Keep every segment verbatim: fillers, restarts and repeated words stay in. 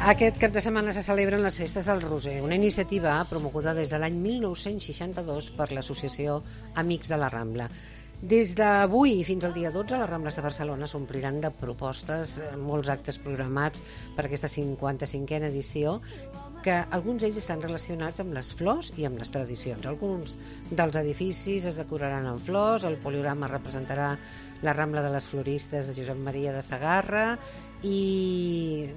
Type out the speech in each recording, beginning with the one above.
Aquest cap de setmana se celebren les festes del Roser, una iniciativa promoguda des de l'any mil nou-cents seixanta-dos per l'associació Amics de la Rambla. Des d'avui fins al dia dotze, les Rambles de Barcelona s'ompliran de propostes, molts actes programats per aquesta cinquanta-cinquena edició, que alguns d'ells estan relacionats amb les flors i amb les tradicions. Alguns dels edificis es decoraran amb flors, el poliorama representarà la Rambla de les Floristes de Josep Maria de Sagarra i...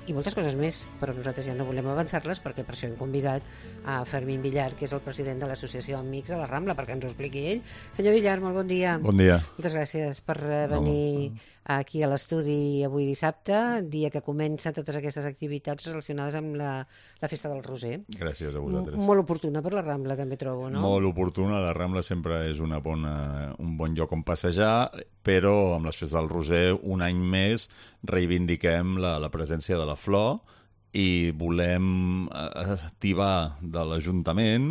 i moltes coses més, però nosaltres ja no volem avançar-les perquè per això hem convidat a Fermín Villar, que és el president de l'associació Amics de la Rambla, perquè ens ho expliqui ell. Senyor Villar, molt bon dia. Bon dia. Moltes gràcies per venir no. aquí a l'estudi avui dissabte, dia que comencen totes aquestes activitats relacionades amb la, la Festa del Roser. Gràcies a vosaltres. M molt oportuna per la Rambla, també trobo, no? Molt oportuna. La Rambla sempre és una bona, un bon lloc on passejar, però amb les Festes del Roser un any més reivindiquem la, la presència de la flor i volem activar de l'Ajuntament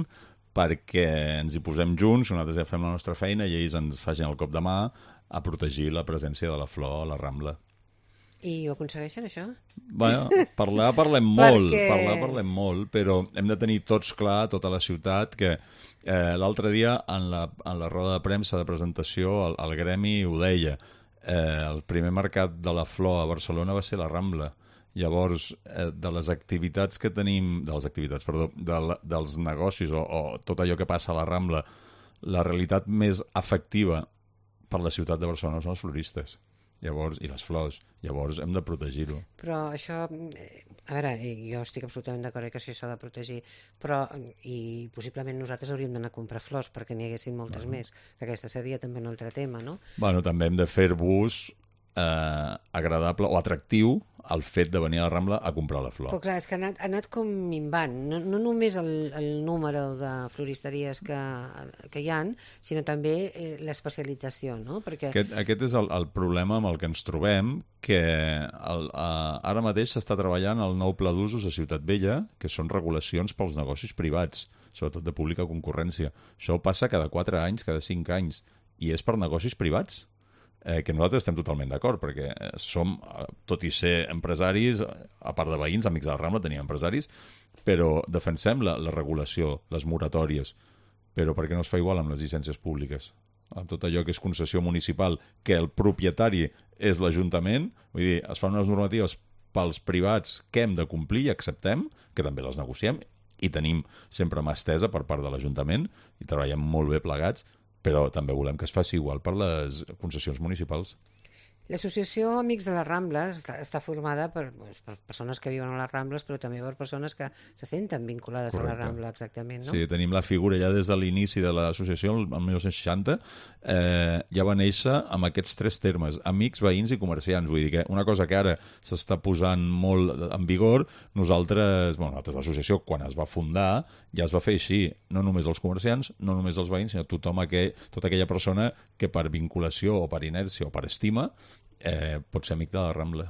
perquè ens hi posem junts, nosaltres ja fem la nostra feina i ells ens facin el cop de mà a protegir la presència de la flor a la Rambla. I ho aconsegueixen, això? Bueno, parlar parlem molt, Perquè... parlar parlem molt, però hem de tenir tots clar, tota la ciutat, que eh, l'altre dia en la, en la roda de premsa de presentació el, el gremi ho deia, eh, el primer mercat de la flor a Barcelona va ser la Rambla. Llavors, eh, de les activitats que tenim, de les activitats, perdó, de la, dels negocis o, o tot allò que passa a la Rambla, la realitat més efectiva per la ciutat de Barcelona són els floristes. Llavors, i les flors, llavors hem de protegir-ho. Però això, a veure, jo estic absolutament d'acord que això s'ha de protegir, però, i possiblement nosaltres hauríem d'anar a comprar flors perquè n'hi haguessin moltes bueno. més, que aquesta seria també un altre tema, no? Bueno, també hem de fer-vos eh, agradable o atractiu el fet de venir a la Rambla a comprar la flor. Però clar, és que ha anat, ha anat com minvant, no, no només el, el número de floristeries que, que hi ha, sinó també eh, l'especialització, no? Perquè... Aquest, aquest és el, el problema amb el que ens trobem, que el, eh, ara mateix s'està treballant el nou pla d'usos a Ciutat Vella, que són regulacions pels negocis privats, sobretot de pública concurrència. Això passa cada quatre anys, cada cinc anys, i és per negocis privats. Eh, que nosaltres estem totalment d'acord, perquè som, tot i ser empresaris, a part de veïns, Amics de la Rambla, tenim empresaris, però defensem la, la regulació, les moratòries, però per què no es fa igual amb les llicències públiques? Amb tot allò que és concessió municipal, que el propietari és l'Ajuntament, vull dir, es fan unes normatives pels privats que hem de complir i acceptem, que també les negociem, i tenim sempre mà estesa per part de l'Ajuntament, i treballem molt bé plegats, però també volem que es faci igual per les concessions municipals. L'associació Amics de les Rambles està, està formada per, doncs, per persones que viuen a les Rambles, però també per persones que se senten vinculades Correcte. a la Rambla, exactament, no? Sí, tenim la figura ja des de l'inici de l'associació, el mil nou-cents seixanta, eh, ja va néixer amb aquests tres termes, amics, veïns i comerciants. Vull dir que una cosa que ara s'està posant molt en vigor, nosaltres, bueno, nosaltres l'associació, quan es va fundar, ja es va fer així, no només els comerciants, no només els veïns, sinó tothom aquell, tota aquella persona que per vinculació o per inèrcia o per estima Eh, pot ser amic de la Rambla.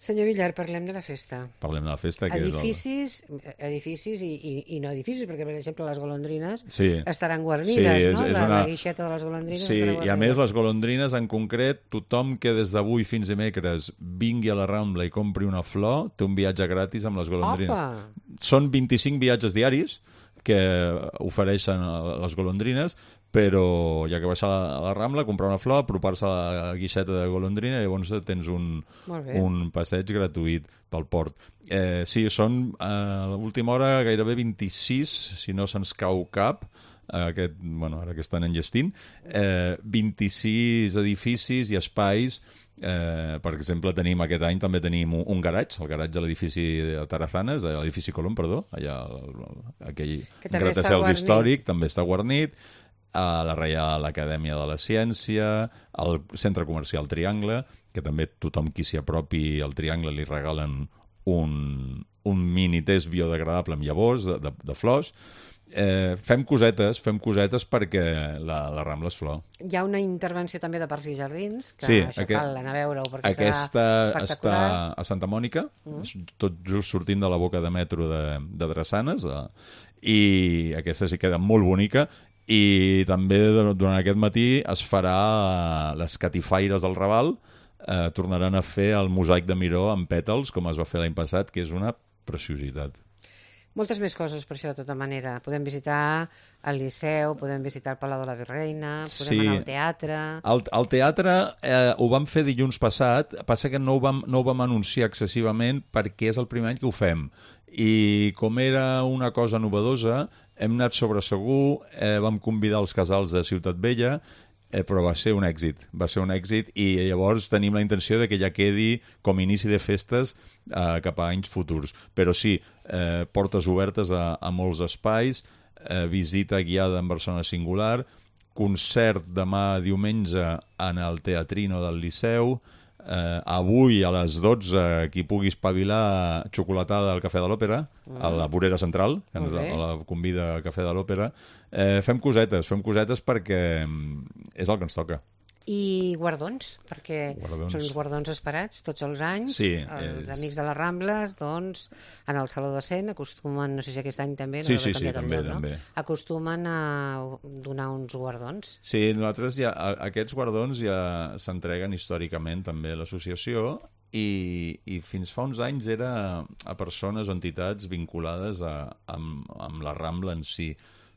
Senyor Villar, parlem de la festa. Parlem de la festa. Que edificis, és el... edificis i, i, i no edificis, perquè, per exemple, les golondrines sí. estaran guarnides, sí, és, no? És la, una... la guixeta de les golondrines sí, estarà guarnida. I a més, les golondrines, en concret, tothom que des d'avui fins dimecres vingui a la Rambla i compri una flor, té un viatge gratis amb les golondrines. Opa! Són vint-i-cinc viatges diaris que ofereixen les golondrines, però ja que baixar a la Rambla, comprar una flor, apropar-se a la guixeta de golondrina i llavors tens un, un passeig gratuït pel port. Eh, sí, són a l'última hora gairebé vint-i-sis, si no se'ns cau cap, aquest, bueno, ara que estan enllestint, eh, vint-i-sis edificis i espais. Eh, per exemple, tenim aquest any també tenim un, un garatge, el garatge de l'edifici de Tarazanes, l'edifici Colom, perdó, allà aquell gratacels històric, també està guarnit, a la Reial Acadèmia de la Ciència, al Centre Comercial Triangle, que també tothom qui s'hi apropi al Triangle li regalen un, un mini test biodegradable amb llavors de, de, de flors. Eh, fem cosetes, fem cosetes perquè la, la Rambla és flor. Hi ha una intervenció també de Parcs i Jardins, que sí, això aquest, cal anar a veure-ho perquè aquesta serà espectacular. Està a Santa Mònica, mm. tot just sortint de la boca de metro de, de Drassanes, eh, i aquesta sí queda molt bonica. I també durant aquest matí es farà les catifaires del Raval, eh, tornaran a fer el mosaic de Miró amb pètals, com es va fer l'any passat, que és una preciositat. Moltes més coses per això, de tota manera. Podem visitar el Liceu, podem visitar el Palau de la Virreina, podem Sí. anar al teatre... El, el teatre eh, ho vam fer dilluns passat, passa que no ho, vam, no ho vam anunciar excessivament perquè és el primer any que ho fem. I com era una cosa novedosa, hem anat sobre segur, eh, vam convidar els casals de Ciutat Vella, eh, però va ser un èxit, va ser un èxit i llavors tenim la intenció de que ja quedi com inici de festes eh, cap a anys futurs. Però sí, eh, portes obertes a, a molts espais, eh, visita guiada en Barcelona Singular, concert demà diumenge en el Teatrino del Liceu, eh, avui a les dotze qui pugui espavilar xocolatada al Cafè de l'Òpera, mm. a la vorera central, que ens Okay. la convida al Cafè de l'Òpera. Eh, fem cosetes, fem cosetes perquè és el que ens toca. I guardons, perquè Guardons. són uns guardons esperats tots els anys. Sí, Els és- amics de les Rambles, doncs, en el Saló de Cent acostumen, no sé si aquest any també, no Sí, deu haver sí, sí, canviat el també, lloc, també. no? Acostumen a donar uns guardons. Sí, nosaltres ja, a- aquests guardons ja s'entreguen històricament també a l'associació i, i fins fa uns anys era a persones o entitats vinculades a, amb, amb la Rambla en si.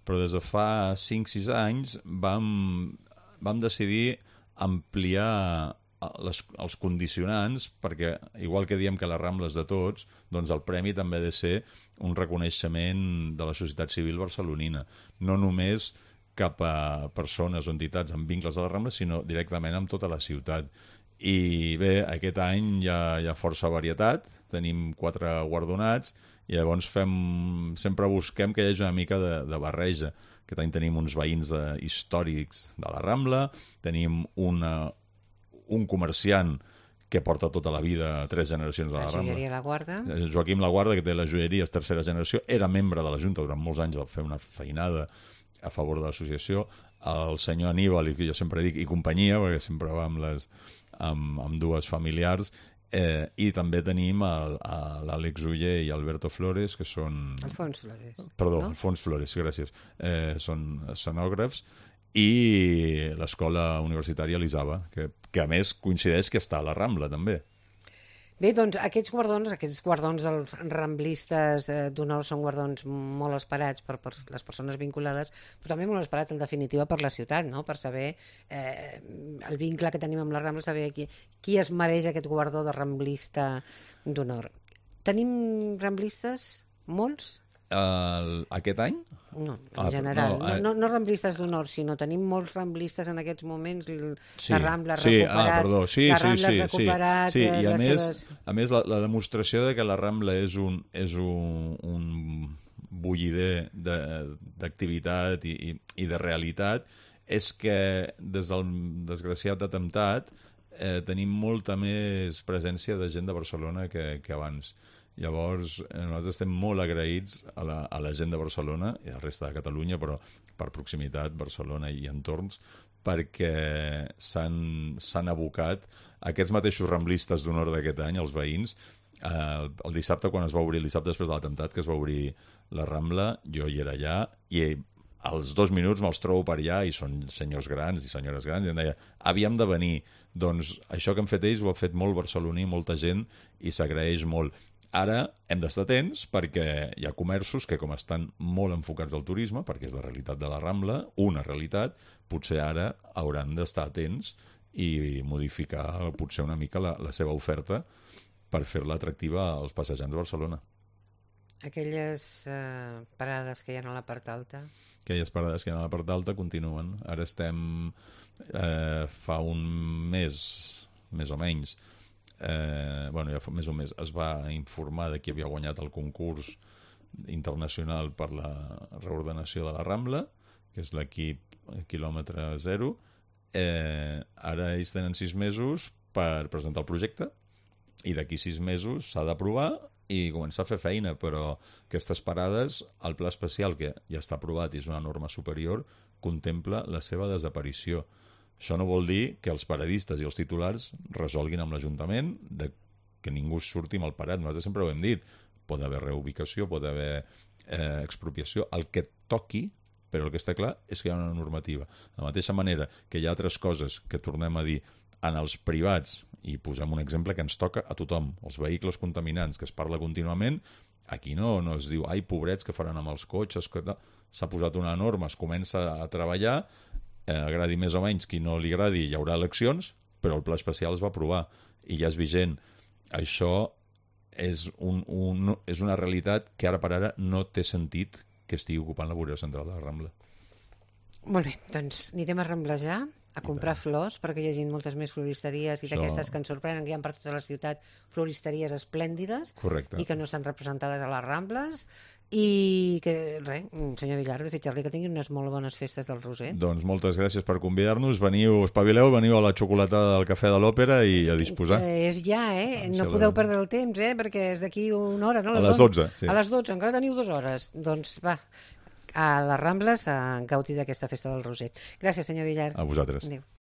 Però des de fa cinc sis anys vam, vam decidir ampliar les, els condicionants perquè, igual que diem que la Rambla és de tots, doncs el premi també ha de ser un reconeixement de la societat civil barcelonina. No només cap a persones o entitats amb vincles a la Rambla, sinó directament amb tota la ciutat. I bé, aquest any hi ha, hi ha força varietat, tenim quatre guardonats, i llavors fem, sempre busquem que hi hagi una mica de, de barreja. Aquest any tenim uns veïns de, històrics de la Rambla, tenim una, un comerciant que porta tota la vida tres generacions de la, La Rambla. joieria La Guarda. Joaquim Laguarda, que té la joieria, és tercera generació, era membre de la Junta durant molts anys, va fer una feinada a favor de l'associació. El senyor Aníbal, i que jo sempre dic, i companyia, perquè sempre va amb, les, amb, amb dues familiars, eh, i també tenim el, l'Àlex Uller i Alberto Flores, que són... Alfons Flores. Perdó, no? Alfons Flores, gràcies. Eh, són escenògrafs, i l'escola universitària l'Isaba, que, que a més coincideix que està a la Rambla, també. Bé, doncs aquests guardons, aquests guardons dels ramblistes eh, d'honor són guardons molt esperats per, per les persones vinculades, però també molt esperats en definitiva per la ciutat, no? Per saber eh, el vincle que tenim amb la Rambla, saber qui, qui es mereix aquest guardó de ramblista d'honor. Tenim ramblistes? Molts? El, aquest any? No, en Ah, general. no, No, eh. no, no ramblistes d'honor, sinó tenim molts ramblistes en aquests moments. l- Sí, la Rambla ha sí, recuperat, ah, perdó, sí, la sí, Rambla sí, ha recuperat sí, sí. eh, I a les més, seves... a més la, la demostració de que la Rambla és un, és un, un bullider de- d'activitat i, i, i de realitat és que des del desgraciat atemptat eh, tenim molta més presència de gent de Barcelona que, que abans. Llavors, eh, nosaltres estem molt agraïts a la, a la gent de Barcelona i a la resta de Catalunya, però per proximitat, Barcelona i entorns, perquè s'han abocat aquests mateixos ramblistes d'honor d'aquest any, els veïns. Eh, el, el dissabte, quan es va obrir, el dissabte després de l'atemptat, que es va obrir la Rambla, jo hi era allà, i als dos minuts me'ls trobo per allà, i són senyors grans i senyores grans, i em deia, havíem de venir. Doncs això que han fet ells ho ha fet molt barceloní, molta gent, i s'agraeix molt. Ara hem d'estar atents perquè hi ha comerços que, com estan molt enfocats al turisme, perquè és la realitat de la Rambla, una realitat, potser ara hauran d'estar atents i modificar potser una mica la, la seva oferta per fer-la atractiva als passejants de Barcelona. Aquelles eh, parades que hi ha a la part alta. Aquelles parades que hi ha a la part alta continuen. Ara estem, eh, fa un mes, més o menys, eh, bueno, ja fa més o més, es va informar de qui havia guanyat el concurs internacional per la reordenació de la Rambla, que és l'equip quilòmetre zero. Eh, ara ells tenen sis mesos per presentar el projecte i d'aquí sis mesos s'ha d'aprovar i començar a fer feina, però aquestes parades, el pla especial, que ja està aprovat i és una norma superior, contempla la seva desaparició. Això no vol dir que els paradistes i els titulars resolguin amb l'Ajuntament de que ningú surti mal parat. Nosaltres sempre ho hem dit. Pot haver reubicació, pot haver eh, expropiació, el que toqui, però el que està clar és que hi ha una normativa. De la mateixa manera que hi ha altres coses que tornem a dir en els privats i posem un exemple que ens toca a tothom. Els vehicles contaminants, que es parla contínuament, aquí no, no es diu, ai, pobrets, que faran amb els cotxes, que s'ha posat una norma, es comença a treballar, eh, agradi més o menys, qui no li agradi hi haurà eleccions, però el pla especial es va aprovar i ja és vigent. Això és, un, un, és una realitat que ara per ara no té sentit que estigui ocupant la vorera central de la Rambla. Molt bé, doncs anirem a ramblejar, a comprar flors, perquè hi hagi moltes més floristeries i d'aquestes que ens sorprenen, que hi ha per tota la ciutat floristeries esplèndides. Correcte. I que no estan representades a les Rambles, i que, res, senyor Villar, desitjar-li que tinguin unes molt bones festes del Roser. Doncs moltes gràcies per convidar-nos, veniu, espavileu, veniu a la xocolatada del Cafè de l'Òpera i a disposar. Que és ja, eh? No podeu perdre el temps, eh? Perquè és d'aquí una hora, no? A les dotze, sí. A les dotze, encara teniu dues hores. Doncs va, a les Rambles a gaudir d'aquesta festa del Roser. Gràcies, senyor Villar. A vosaltres. Adéu.